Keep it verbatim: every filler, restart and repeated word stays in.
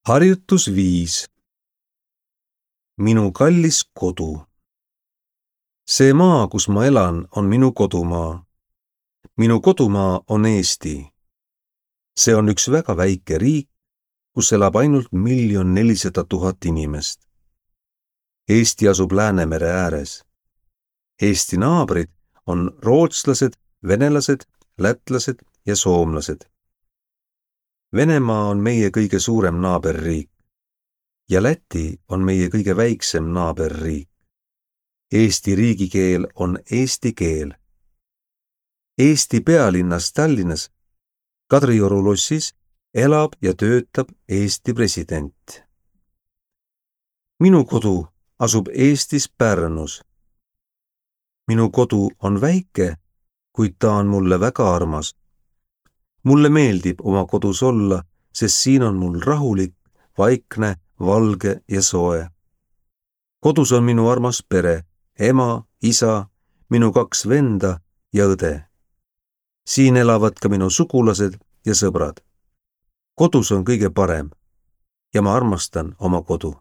Harjutus viis. Minu kallis kodu. See maa, kus ma elan, on minu kodumaa. Minu kodumaa on Eesti. See on üks väga väike riik, kus elab ainult miljon nelisada tuhat inimest. Eesti asub Läänemere ääres. Eesti naabrid on rootslased, venelased, lätlased ja soomlased. Venemaa on meie kõige suurem naaberriik ja Läti on meie kõige väiksem naaberriik. Eesti riigikeel on eesti keel. Eesti pealinnas Tallinnas Kadrioru lossis elab ja töötab Eesti president. Minu kodu asub Eestis Pärnus. Minu kodu on väike, kuid ta on mulle väga armas. Mulle meeldib oma kodus olla, sest siin on mul rahulik, vaikne, valge ja soe. Kodus on minu armas pere, ema, isa, minu kaks venda ja õde. Siin elavad ka minu sugulased ja sõbrad. Kodus on kõige parem ja ma armastan oma kodu.